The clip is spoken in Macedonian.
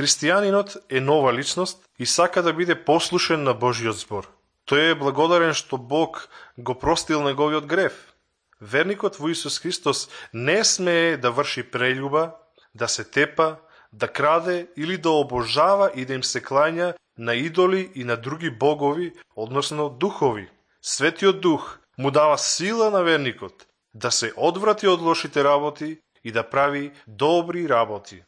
Христијанинот е нова личност и сака да биде послушен на Божиот збор. Тој е благодарен што Бог го простил неговиот грев. Верникот во Исус Христос не смее да врши прељуба, да се тепа, да краде или да обожава и да им се клања на идоли и на други богови, односно духови. Светиот Дух му дава сила на верникот да се одврати од лошите работи и да прави добри работи.